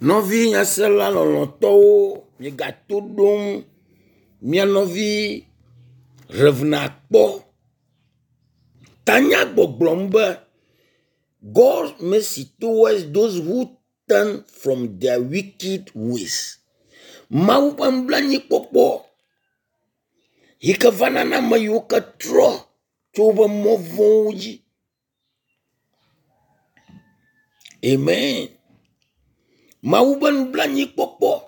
Nɔvi nyasela lɔlɔ̃tɔwo, migato ɖom mia nɔvi Rev. Akpɔ. Tanya gbɔgblɔm be God mercy towards those who turn from their wicked ways. Mawu ƒe nublanuikpɔkpɔ yi ke vana na ame yiwo ke trɔ tso woƒe mɔ vɔ̃wo dzi. Amen. Mawu ƒe nublanuikpɔkpɔ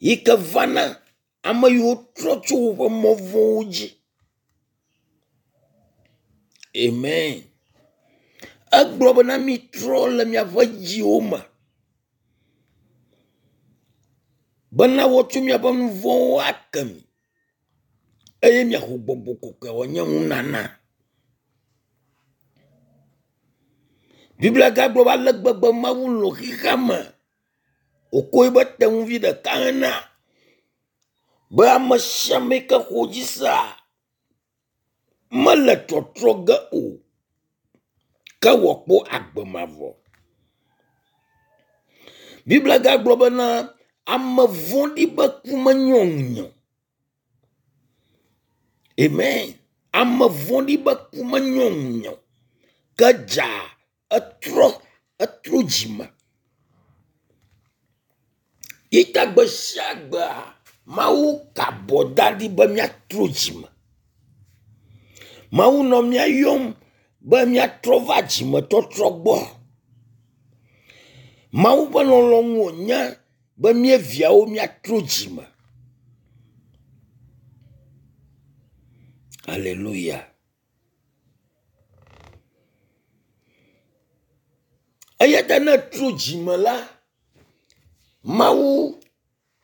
yi ke vana ame yiwo trɔ tso woƒe mɔ vɔ̃wo dzi. Amen. Egblɔ bena mitrɔ le miaƒe dziwo me bena woatsɔ miaƒe nu vɔ̃wo ake mi eye miaxɔ gbɔgbɔ kɔkɔe wòanye nunana. Biblia gagblɔ be ale gbegbe Mawu lɔ̃ xexea me wòkɔ eƒe tenuvi ɖeka hena be ame sia ame yi ke xɔ edzi sea mele tɔtrɔ ge o ke wòakpɔ agbe mavɔ. Biblia gagblɔ bena ame vɔ̃ɖi ƒe ku menyo ŋunye o. Amen. Ame vɔ̃ɖi ƒe ku menyo ŋunye o. Ke dza etrɔ etrɔ dzime. Yi ta gbe sia gbea Mawu ka abɔ da ɖi be míatrɔ dzime. Mawu nɔ mía yɔm be míatrɔ va dzimetɔtrɔ gbɔ. Mawu ƒe lɔlɔ̃nu wònye be mía viawo míatrɔ dzime. Aleluya. Eya ta ne ètrɔ dzime la, Mawu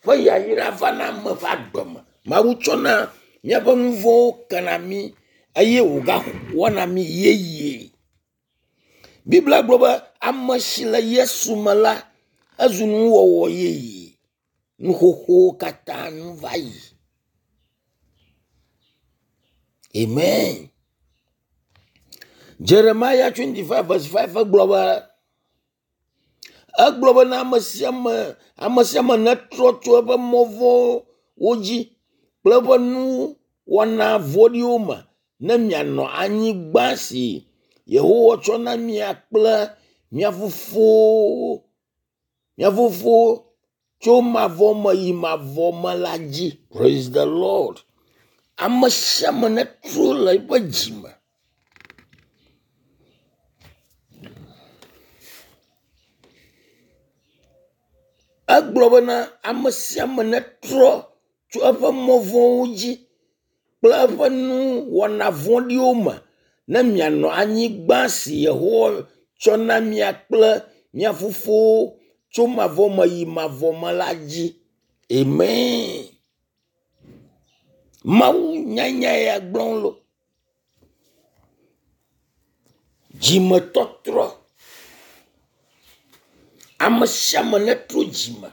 ƒe yayra vana ame ƒe agbe me. Mawu tsɔna míaƒe nu vɔ̃wo kena mí eye wògawɔna mí yeye. Biblia gblɔ be ame si le Yesu me la, ezu nuwɔwɔ yeye. Nu xoxowo katã nu va yi. Amen. Jeremiah 25 verse 5 gblɔ be egblɔ be na ame sia ame ame sia ame netrɔ tso eƒe mɔ vɔ̃wo dzi kple eƒe nuwɔna vɔ̃ɖiwo me ne mianɔ anyigba si Yehowa tsɔ na mia kple mia fofowo mia fofowo tso mavɔ me yi mavɔ me la dzi. Praise the Lord. Ame sia ame netrɔ le eƒe dzi me. Egblɔ bena ame sia ame netrɔ tso eƒe mɔ vɔ̃wo dzi kple eƒe nuwɔna vɔ̃ɖiwo me ne mianɔ anyigba si Yehowa tsɔ na mia kple mia fofowo tso mavɔ me yi mavɔ me la dzi. Amen. Mawu nyanya ya gblɔm lo. Dzimetɔtrɔ. Ame sia ame netrɔ dzime.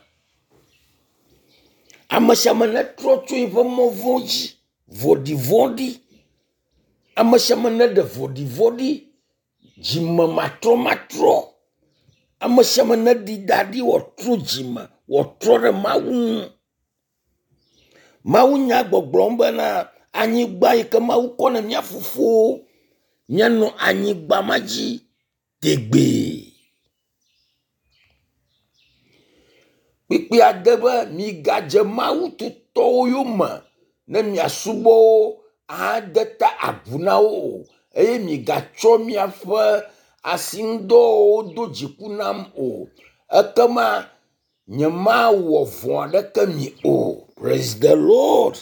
Ame sia ame netrɔ tso eƒe mɔ vɔ̃ dzi. Vɔ̃ɖivɔ̃ɖi. Ame sia ame neɖe vɔ̃ɖivɔ̃ɖi. Dzime matrɔmatrɔ. Ame sia ame neɖi da ɖi wòatrɔ dzime, wòatrɔ ɖe Mawu ŋu. Mawu nya gbɔgblɔm bena anyigba yi ke Mawu kɔ na mía fofowo míanɔ anyigba ma dzi tegbee. Kpukpuia de be migadze Mawu tutɔwo yome ne miasubɔ wo ahade ta agu na wo o eye migatsɔ miaƒe asinudɔwɔwɔwo do dziku nam o. Ekema nyemawɔ vɔ̃ aɖeke mi o. Praise the Lord.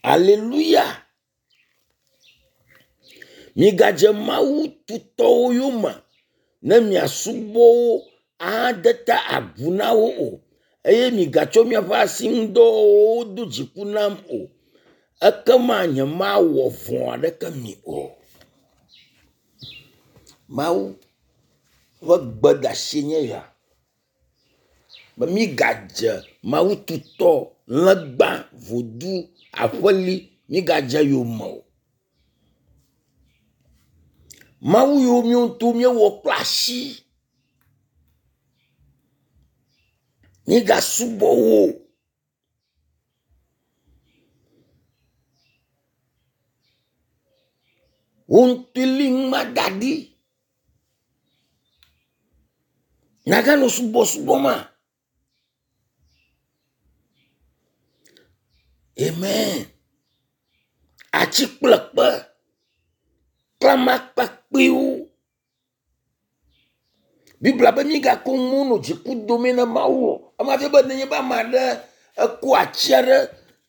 Aleluya. Migadze Mawu tutɔwo yome ne miasubɔ wo ahade ta agu na wo o eye migatsɔ miaƒe asinudɔwɔwɔwo do dziku nam o. Ekema nyemawɔ vɔ̃ aɖeke mi o. Mawu ƒe gbedeasi nye ya be mígadze Mawu tutɔ, legba, vodu, aƒeli mígadze yome o. Mawu yiwo míawo ŋutɔ míewɔ kple asi. Migasubɔ wo o. Wò ŋutɔe li nua da ɖi. Nàganɔ subɔsubɔ ma. Amen. Atsi kple kpe, klamakpakpɛwo. Biblia be mígako nu nɔ dziku dome na Mawu o. Ema fia be nenye be ame aɖe ekɔ atsi aɖe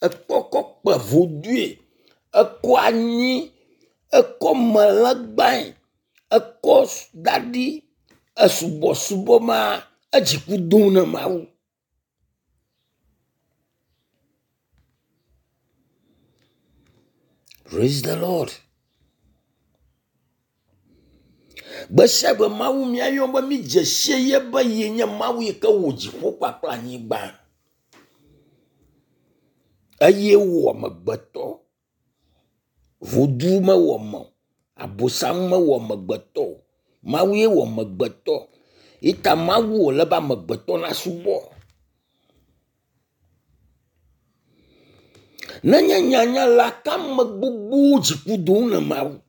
ekpɔ kɔ kpe vodue, ekɔ anyi, ekɔ melegbae, ekɔ da ɖi esubɔsubɔ ma edziku dom na Mawu. Praise the Lord. Gbe sia gbe Mawu míayɔ be mídze sie ye be ye nye Mawu yi ke wɔ dziƒo kpakple anyigba. Eye wɔ amegbetɔ. Vodu mewɔ ame o. Abosam mewɔ amegbetɔ o. Mawu ye wɔ amegbetɔ. Yi ta Mawu wòle be amegbetɔ nasubɔ. Nenye nyanya la, ke ame gbogbowo dziku dom na Mawu.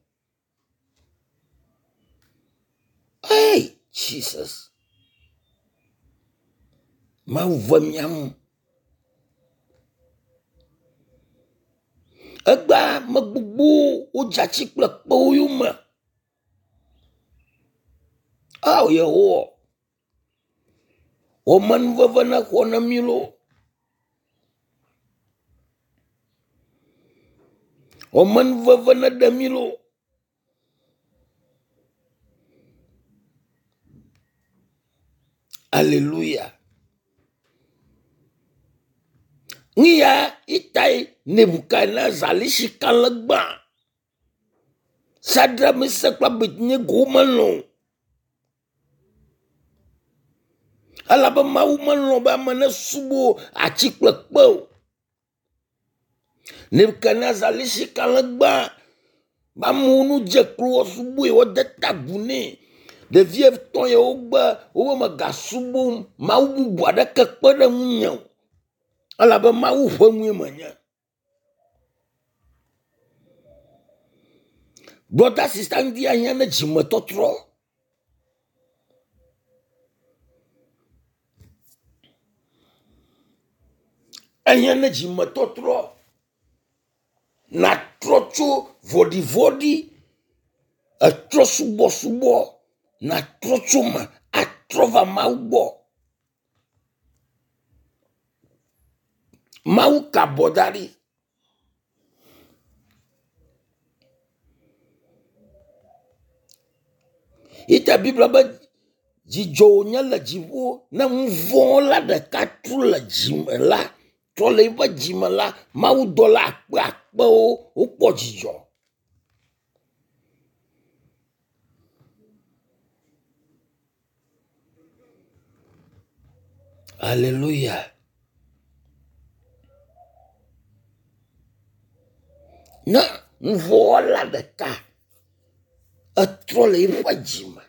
Hey, Jesus. Mawu ve mía ŋu. Egbea ame gbogbowo wodze atsi kple kpewo yome. Ao Yehowa, wò amenuveve nexɔ na mí loo. Wò amenuveve neɖe mí loo. Aleluya. Nu ya itae Nebukadnezar li sika legba. Sadrak, Mesak kple Abednego melɔ̃ o. Elabe Mawu melɔ̃ be ame nesubɔ atsi kple kpe o. Nebukadnezar li sika legba be amewo nu dze klo woasubɔe, woade ta agu nɛ. Ɖevi etɔ̃ yawo gbe wobe megasubɔ mawu bubu aɖeke kpe ɖe ŋunye o elabe Mawu ƒe nue menye. Brɔda sista ŋdi ahiã ne dzimetɔtrɔ. Ehiã ne dzimetɔtrɔ. Nàtrɔ tso vɔɖivɔ̃ɖi, etrɔ subɔsubɔ, nàtrɔ tso eme atrɔ va Mawu gbɔ. Mawu ka abɔ da ɖi. Yi ta Biblia be dzidzɔ wònye le dziƒo ne nu vɔ̃ la ɖeka trɔ le dzime la, trɔ le eƒe dzime la, mawudɔla akpe akpewo wokpɔ dzidzɔ. Aleluya. Ne nuvɔ̃wɔla ɖeka etrɔ le eƒe dzi me,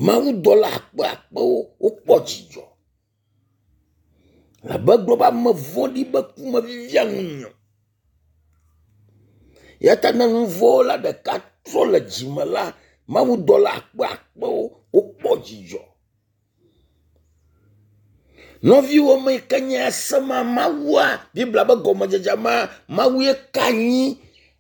mawudɔla akpeakpewo wokpɔ dzidzɔ. Abe egblɔ be ame vɔ̃ɖi be ku mevivia nunye o. Eya ta ne nuvɔ̃wɔla ɖeka trɔ le dzime la, mawudɔla akpeakpewo wokpɔ dzidzɔ. Nɔviwo me yi ke nye ese ma Mawua, Biblia be gɔmedzedze ma, Mawu ye ka anyi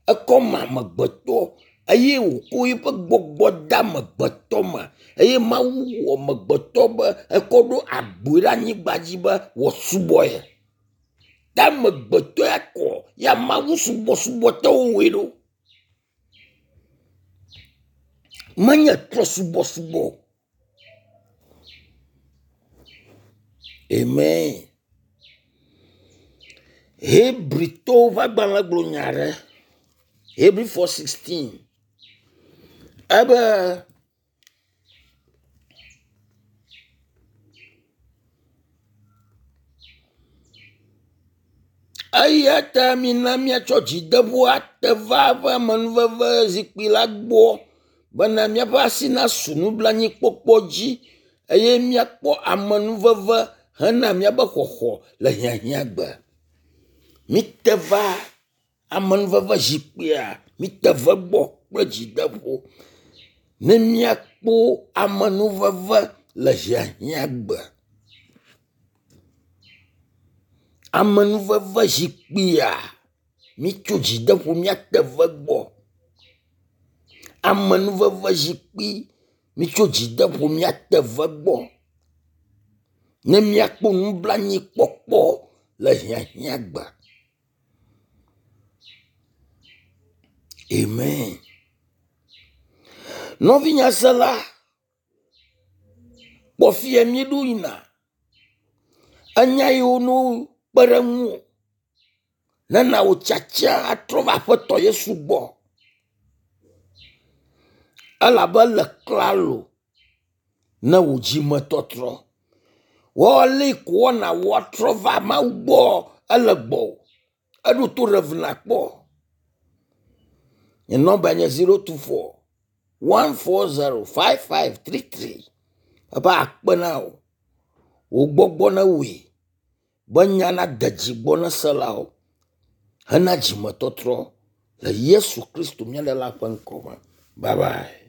ekɔ ma amegbetɔ eye wòko eƒe gbɔgbɔ de amegbetɔ me eye Mawu wɔ amegbetɔ be ekɔ ɖo agboe ɖe anyigba dzi be wòasubɔ ye. Ta amegbetɔ ya kɔ ya Mawu subɔsubɔ te wowɔe ɖo. Menye trɔsubɔsubɔ o. Amen. Hebritɔwo ƒe agbalẽ gblɔ nya aɖe. Hebri 4:16. Ebe eya ta mina míatsɔ dzideƒo ate va eƒe amenuveve zikpui la gbɔ bena míaƒe asi nasu nublanuikpɔkpɔ dzi. eye míakpɔ amenuveve hena míabe xɔxɔ le hiahiãgbe. Mite va amenuveve zikpuia, mite ve gbɔ kple dzideƒo ne míakpɔ amenuveve le hiahiãgbe. Amenuveve zikpuia, mitso dzideƒo míate ve gbɔ. Amenuveve zikpui, mitso dzideƒo míate ve gbɔ ne míakpɔ nublanuikpɔkpɔ le hiahiãgbe. Amen. Nɔvinyasela, kpɔ fie míeɖo yina. Enya yiwo no kpe ɖe ŋuwò nena wò tiatia atrɔ va Aƒetɔ Yesu gbɔ. Elabe ele klalo ne wò dzimetɔtrɔ. Wɔli ko wɔna woatrɔ va Mawu gbɔ ele gbɔwò. Eɖo to ɖe vi nakpɔ. Nye nɔmba nye 024 140 5533. Ebe akpe na wò. Wò gbɔgbɔ newɔe be nya nade dzi gbɔ na selawo hena dzimetɔtrɔ le Yesu Kristo mía Ɖela ƒe ŋkɔ me. Bye bye.